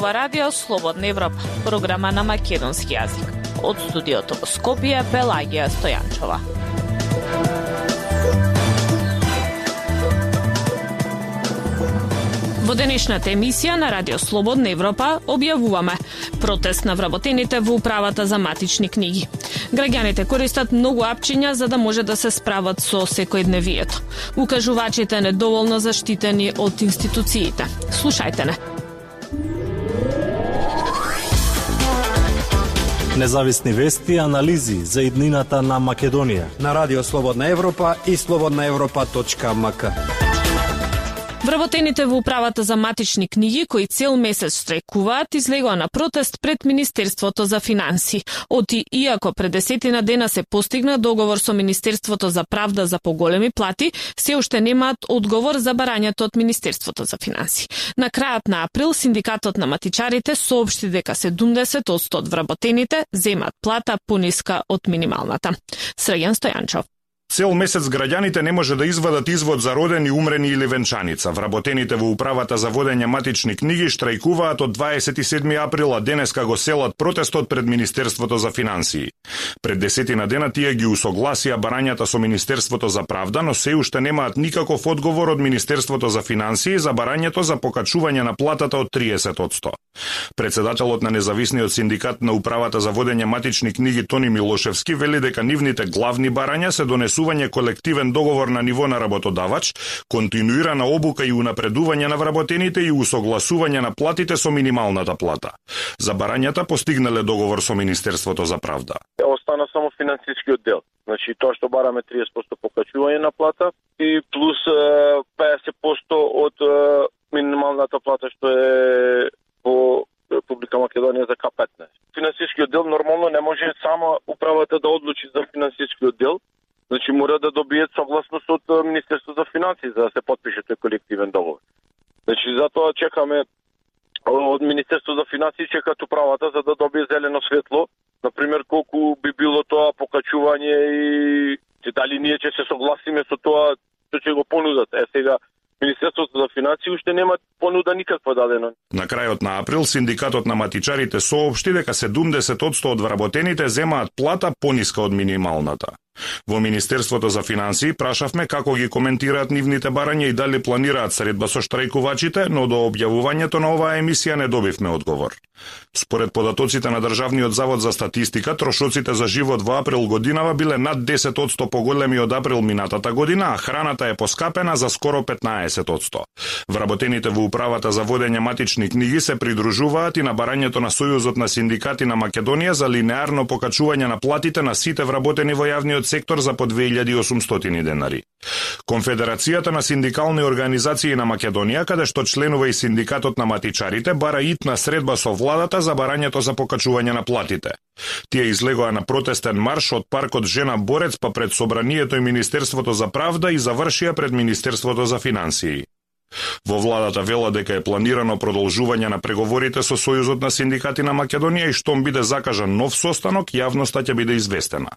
ова радио Слободна Европа, програма на македонски јазик. Од студиото во Скопје, Пелагија Стојанчова. Во денешната емисија на Радио Слободна Европа објавуваме протест на вработените во управата за матични книги. Граѓаните користат многу апчиња за да може да се справат со секојдневието. Укажувачите недоволно заштитени од институциите. Слушајте не. Независни вести и анализи за иднината на Македонија на Радио Слободна Европа и slobodnaevropa.mk. Вработените во управата за матични книги, кои цел месец штрајкуваат, излегоа на протест пред Министерството за финансии. Иако пред 10 дена се постигна договор со Министерството за правда за поголеми плати, се уште немаат одговор за барањето од Министерството за финансии. На крајот на април, Синдикатот на матичарите соопшти дека 70% од вработените земаат плата пониска од минималната. Срđan Стојанчов. Цел месец граѓаните не може да извадат извод за родени, умрени или венчаница. Вработените во управата за водење матични книги штрајкуваат од 27 април, а денеска го селат протестот пред Министерството за финансии. Пред 10 дена тие ги усогласија барањата со Министерството за правда, но се уште немаат никаков одговор од Министерството за финансии за барањето за покачување на платата од 30%. Председателот на независниот синдикат на управата за водење матични книги Тони Милошевски вели дека нивните главни барања се донесување колективен договор на ниво на работодавач, континуирана обука и унапредување на вработените и усогласување на платите со минималната плата. За барањата постигнале договор со Министерството за правда. Остана само финансискиот дел. Значи тоа што бараме 30% покачување на плата и плюс 50% од минималната плата што е во Република Македонија за К15. Финансискиот дел нормално не може само управата да одлучи за финансискиот дел. Значи мора да добијат согласност од Министерството за финансии за да се подпише тој колективен договор. Значи затоа чекаме од Министерството за финансии чекаат управата за да добие зелено светло, например колку би било тоа покачување и дали ние ќе се согласиме со тоа што ќе го понудат. Сега Министерството за финансии уште нема понуда никаква дадена. На крајот на април Синдикатот на матичарите соопшти дека 70% од вработените земаат плата пониска од минималната. Во Министерството за финансии прашавме како ги коментираат нивните барања и дали планираат средба со штрајкувачите, но до објавувањето на оваа емисија не добивме одговор. Според податоците на Државниот завод за статистика, трошоците за живот во април годинава биле над 10% поголеми од април минатата година, а храната е поскапена за скоро 15%. Вработените во управата за водење матични книги се придружуваат и на барањето на Сојузот на синдикати на Македонија за линеарно покачување на платите на сите вработени во јавниот сектор за по 2800 денари. Конфедерацијата на синдикални организации на Македонија, каде што членува и Синдикатот на матичарите, бара итна средба со владата за барањето за покачување на платите. Тие излегоа на протестен марш од паркот Жена Борец па пред Собранието и Министерството за правда и завршија пред Министерството за финансии. Во владата вела дека е планирано продолжување на преговорите со Сојузот на синдикати на Македонија и штом биде закажан нов состанок, јавноста ќе биде известена.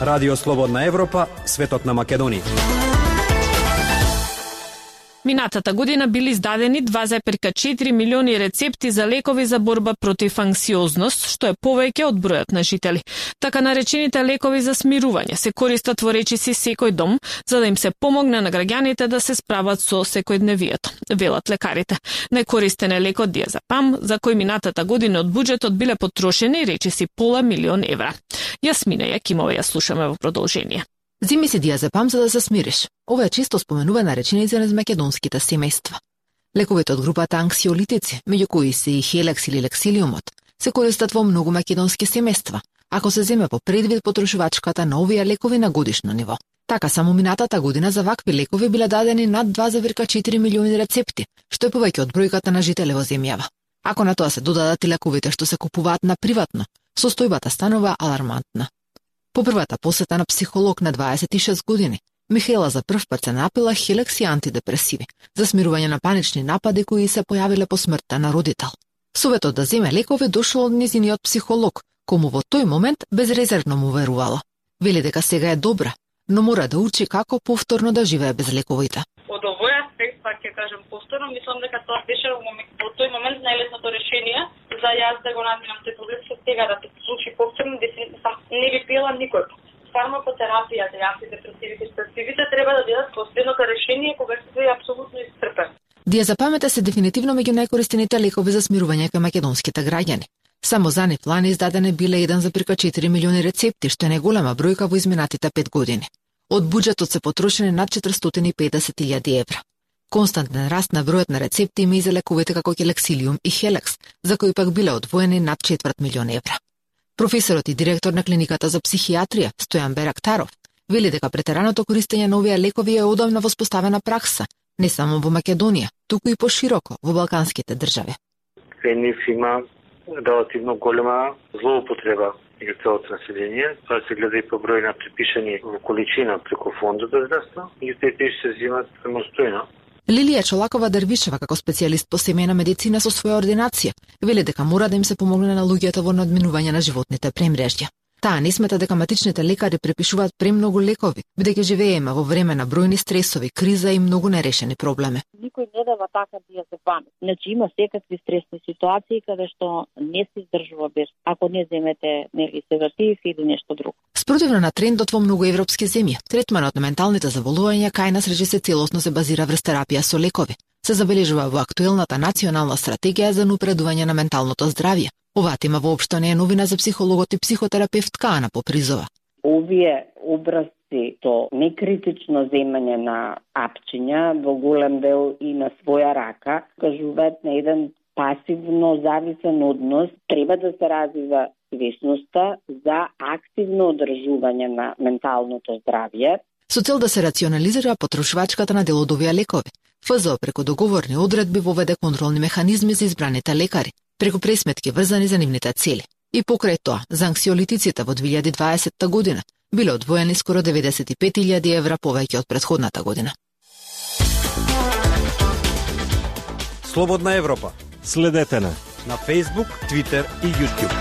Радио Слободна Европа, светот на Македонија. Минатата година били издадени 2,4 милиони рецепти за лекови за борба против анксиозност, што е повеќе од бројот на жители. Така наречените лекови за смирување се користат во речиси секој дом, за да им се помогне на граѓаните да се справат со секојдневието, велат лекарите. Најкористен е лекот диазепам, за кој минатата година од буџетот биле потрошени речиси $500 000 евра. Јасмина Јакимова ја слушаме во продолжение. Зими си диазепам за да се смириш. Ова е често споменувана реченица низ македонските семејства. Лековите од групата анксиолитици, меѓу кои се и хелекс или лексилиумот, се користат во многу македонски семејства, ако се земе по предвид потрошувачката на овие лекови на годишно ниво. Така само минатата година за вакви лекови биле дадени над 2,4 милиони рецепти, што е повеќе од бројката на жители во земјава. Ако на тоа се додадат и лековите што се купуваат на приватно, состојбата станува алармантна. По првата посета на психолог на 26 години, Михаела за прв пат се напила хелекс и антидепресиви за смирување на панични напади кои се појавиле по смртта на родител. Советот да земе лекови дошол од низиниот психолог, кому во тој момент безрезервно му верувала. Вели дека сега е добра, но мора да учи како повторно да живее без лековите. Од овој аспект пак ќе кажам повторно, мислам дека тоа беше во тој момент најлесното решение за јас да го надминам тој проблем, со сега да се случи повторно, не би пиела никој. Фармакотерапијата и антидепресивите и специвите треба да бидат последното решение кога се е апсолутно исцрпен. Диазепамите се дефинитивно меѓу најкористените лекови за смирување кај македонските граѓани. Само за нив лани издадени биле 1,4 милиони рецепти, што е најголема бројка во изминатите 5 години. Од буџетот се потрошени над 450.000 евра. Константен раст на бројот на рецепти има и за лековите како Келексилиум и Хелекс, за кои пак биле одвоени над 250.000 евра. Професорот и директор на клиниката за психијатрија, Стојан Берактаров, вели дека претераното користење на овие лекови е удобна воспоставена пракса, не само во Македонија, туку и пошироко во балканските држави. Кај нив има релативно голема злоупотреба меѓу целото население. Тоа се гледа и по број на припишани во количина преку фондот за здравство и тие се взимат самостојно. Лилија Чолакова Дервишева како специјалист по семејна медицина со своја ординација вели дека мора да им се помогне на луѓето во надминување на животните премрежја. Таа не смета дека матичните лекари препишуваат премногу лекови, бидејќи живееме во време на бројни стресови, криза и многу нерешени проблеми. Никој не дава така диазепам. Значи има секакви стресни ситуации каде што не се издржува без ако не земете нели седатив или нешто друго. Спротивно на трендот во многу европски земји, третманот на менталните заболувања кај нас рече се целосно се базира врз терапија со лекови. Се забележува во актуелната национална стратегија за напредување на менталното здравје. Оваа тема воопшто не е новина за психологот и психотерапевтка Ана Попризова. Овие образци со некритично земање на апчиња во голем дел и на своја рака кажуваат на еден пасивно зависен однос, треба да се развива свесноста за активно одржување на менталното здравје. Со цел да се рационализира потрошувачката на дел од овие лекови, ФЗО преку договорни одредби воведе контролни механизми за избраните лекари, преку пресметки врзани за нивните цели. И покрај тоа, за анксиолитиците во 2020 година биле одвоени скоро 95.000 евра повеќе од претходната година. Слободна Европа. Следете на Facebook, Twitter и YouTube.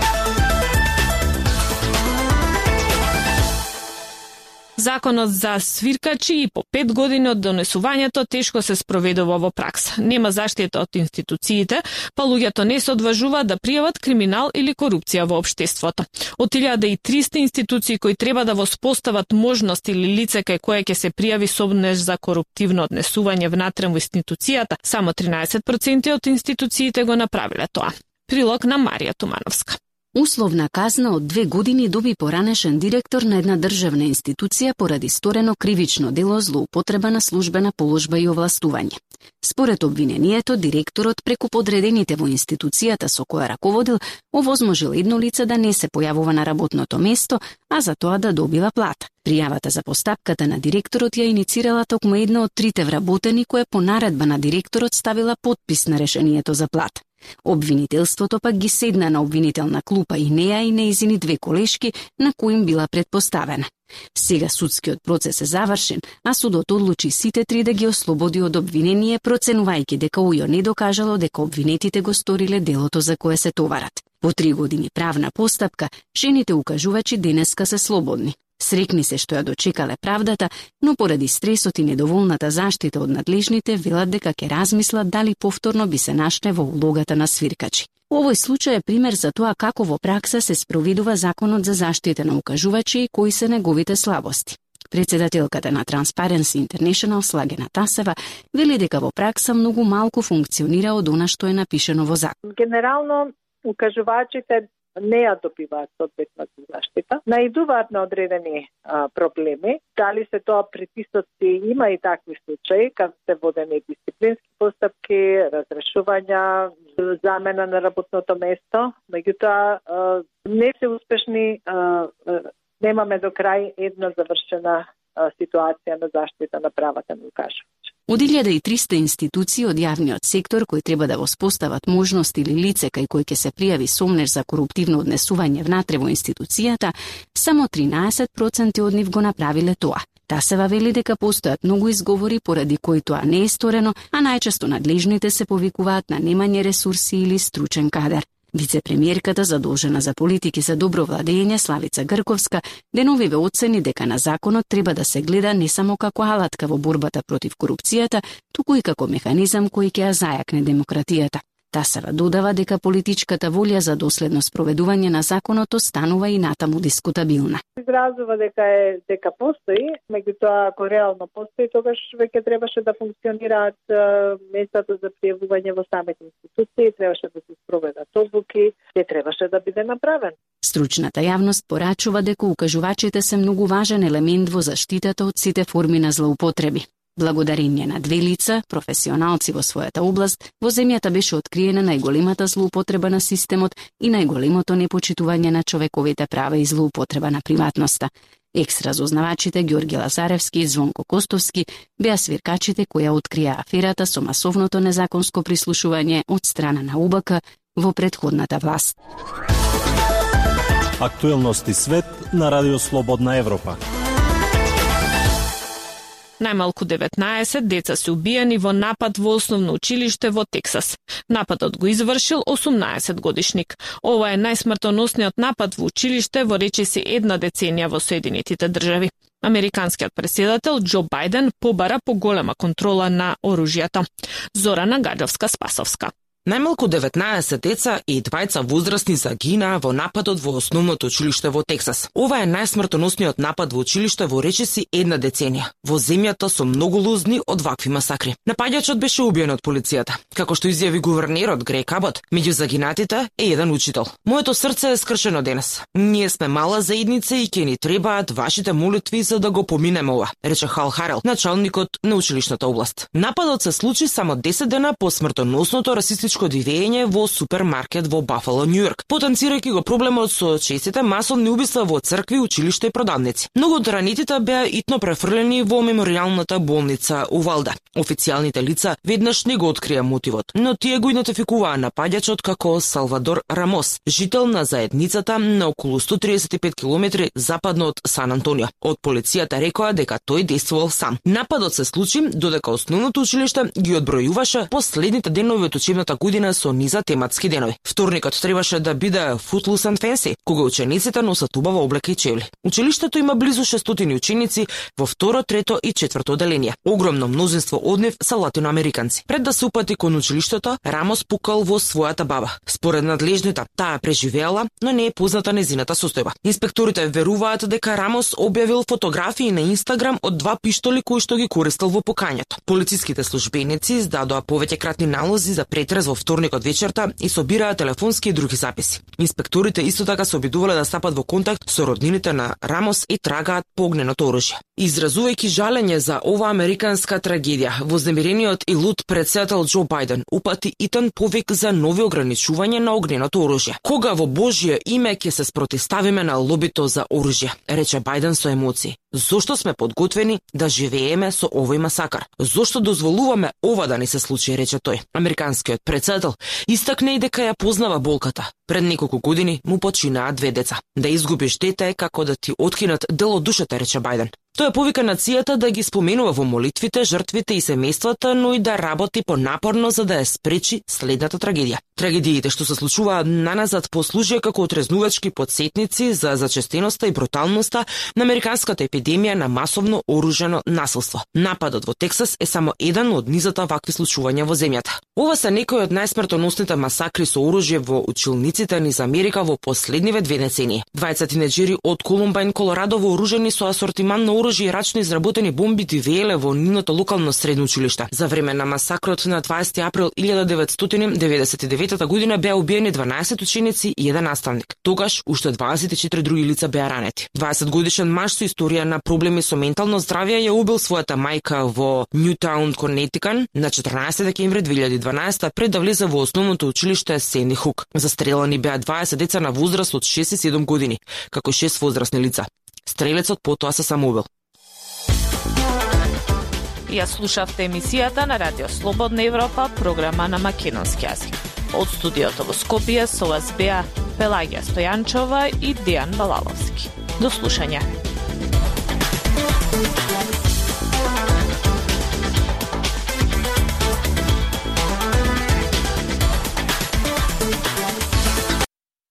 Законот за свиркачи и по 5 години од донесувањето тешко се спроведува во пракса. Нема заштита од институциите, па луѓето не се одважуваат да пријават криминал или корупција во општеството. Од 1300 институции кои треба да воспостават можност или лице кај кое ќе се пријави сомнеж за коруптивно однесување внатре во институцијата, само 13% од институциите го направиле тоа. Прилог на Марија Тумановска. Условна казна од 2 години доби поранешен директор на една државна институција поради сторено кривично дело злоупотреба на службена положба и овластување. Според обвинението, директорот преку подредените во институцијата со која раководил, овозможил едно лице да не се појавува на работното место, а за тоа да добива плата. Пријавата за постапката на директорот ја иницирала токму една од 3 вработени која по наредба на директорот ставила подпис на решението за плата. Обвинителството пак ги седна на обвинителна клупа и неа и неизини 2 колешки на кои им била предпоставена. Сега судскиот процес е завршен, а судот одлучи сите 3 да ги ослободи од обвинение, проценувајќи дека УЈО не докажало дека обвинетите го сториле делото за кое се товарат. Во 3 години правна постапка, жените укажувачи денеска се слободни. Срекни се што ја дочекале правдата, но поради стресот и недоволната заштита од надлежните велат дека ќе размислат дали повторно би се нашле во улогата на свиркачи. Овој случај е пример за тоа како во пракса се спроведува законот за заштита на укажувачи и кои се неговите слабости. Председателката на Transparency International Слагена Тасева вели дека во пракса многу малку функционира од она што е напишено во закон. Генерално укажувачите не ја добиваат соодветната заштита, наидуваат на одредени проблеми, дали се тоа притисоци, има и такви случаи, кога се водени дисциплински постапки, разрешувања, замена на работното место, меѓутоа не се успешни, немаме до крај една завршена ситуација на заштита на правата на укажувачи. Од 1300 институции од јавниот сектор кои треба да воспостават можност или лице кај кој ќе се пријави сомнеж за коруптивно однесување внатре во институцијата, само 13% од нив го направиле тоа. Тасева вели дека постојат многу изговори поради кои тоа не е сторено, а најчесто надлежните се повикуваат на немање ресурси или стручен кадар. Вице-премиерката задолжена за политики за добро владење Славица Грковска деновиве оцени дека на законот треба да се гледа не само како алатка во борбата против корупцијата, туку и како механизам кој ќе ја зајакне демократијата. Тасева додава дека политичката волја за доследно спроведување на законот останува и натаму дискутабилна. Изразува дека постои, меѓутоа ако реално постои, тогаш веќе требаше да функционираат местата за пријавување во самите институции, требаше да се спроведат одлуки, те требаше да биде направен. Стручната јавност порачува дека укажувачите се многу важен елемент во заштитата од сите форми на злоупотреби. Благодарение на две лица, професионалци во својата област, во земјата беше откриена најголемата злоупотреба на системот и најголемото непочитување на човековите права и злоупотреба на приватноста. Екс-разузнавачите Ѓорги Лазаревски и Звонко Костовски беа свиркачите која открија аферата со масовното незаконско прислушување од страна на УБК во претходната власт. Актуелности свет на Радио Слободна Европа. Најмалку 19 деца се убиени во напад во основно училиште во Тексас. Нападот го извршил 18-годишник. Ова е најсмртоносниот напад во училиште во речиси една деценија во Соединетите држави. Американскиот претседател Џо Бајден побара поголема контрола на оружјето. Зорана Гаджовска-Спасовска. Најмалку 19 деца и двајца возрастни загинаа во нападот во основното училиште во Тексас. Ова е најсмртоносниот напад во училиште во речиси една деценија. Во земјата со многу лузни од вакви масакри. Напаѓачот беше убиен од полицијата. Како што изјави гувернерот Грег Абот, меѓу загинатите е еден учител. Моето срце е скршено денес. Ние сме мала заедница и ќе ни требаат вашите молитви за да го поминеме ова, рече Хал Харел, началникот на училишната област. Нападот се случи само 10 дена по смртоносното расистичко дивење во супермаркет во Бафало, Њујорк, потенцирајќи го проблемот со честите масовни убиства во цркви, училишта и продавници. Многу од ранетите беа итно префрлени во меморијалната болница Увалда. Официјалните лица веднаш не го открија мотивот, но тие го идентификуваа напаѓачот како Салвадор Рамос, жител на заедницата на околу 135 километри западно од Сан Антонио. Од полицијата рекоа дека тој действувал сам. Нападот се случи додека основното училиште ги одбројуваше последните денови од учебната година со низа тематски денови. Вторникот требаше да биде footloose and fancy, кога учениците носат убава облека и чевли. Училиштето има близу 600 ученици во второ, трето и четврто оделение. Огромно мнозинство од нив се латиноамериканци. Пред да се упати кон училиштето, Рамос пукал во својата баба. Според надлежните, таа преживеала, но не е позната незината состојба. Инспекторите веруваат дека Рамос објавил фотографии на Инстаграм од два пиштоли кои што ги користел во пукањето. Полициските службеници издадоа повеќе кратни налози за претрез во вторникот вечерта и собираа телефонски и други записи. Инспекторите исто така се обидувале да стапат во контакт со роднините на Рамос и трагаат по огненото оружје. Изразувајќи жалење за ова американска трагедија, вознемирениот и луд претседател Џо Бајден упати итен повик за нови ограничување на огненото оружје. Кога во Божје име ќе се спротивставиме на лобито за оружје, рече Бајден со емоции. Зошто сме подготвени да живееме со овој масакар? Зошто дозволуваме ова да не се случи, рече тој. Американскиот претседател истакне и дека ја познава болката. Пред неколку години му починаа две деца. Да изгубиш дете е како да ти откинат дел од душата, рече Бајден. Тој повика нацијата да ги споменува во молитвите, жртвите и семејствата, но и да работи понапорно за да ја спречи следната трагедија. Трагедиите што се случуваат наназад послужија како отрезнувачки потсетници за зачестеноста и бруталноста на американската епидемија на масовно оружено насилство. Нападот во Тексас е само еден од низата вакви случувања во земјата. Ова се некои од најсмртоносните масакри со оружје во училниците низ Америка во последниве 2 децении. Двајца тинеџери од Колумбајн, Колорадо, вооружени со асортиман на оружје и рачно изработени бомби дивееле во нивното локално средно училиште. За време на масакрот на 20 април 1999 година беа убиени 12 ученици и еден наставник. Тогаш уште 24 други лица беа ранети. 20-годишен маж со историја на проблеми со ментално здравје ја убил својата мајка во Ньютаун, Конетикан на 14 декември 2012 пред да влезе во основното училиште Сенди Хук. Застрелани беа 20 деца на возраст од 6 и 7 години, како 6 возрастни лица. Стрелецот потоа се самоубил. Ја слушавте емисијата на Радио Слободна Европа, програма на македонски јазик. Од студиото во Скопје со вас беа Пелагија Стојанчова и Дејан Балаловски. До слушање.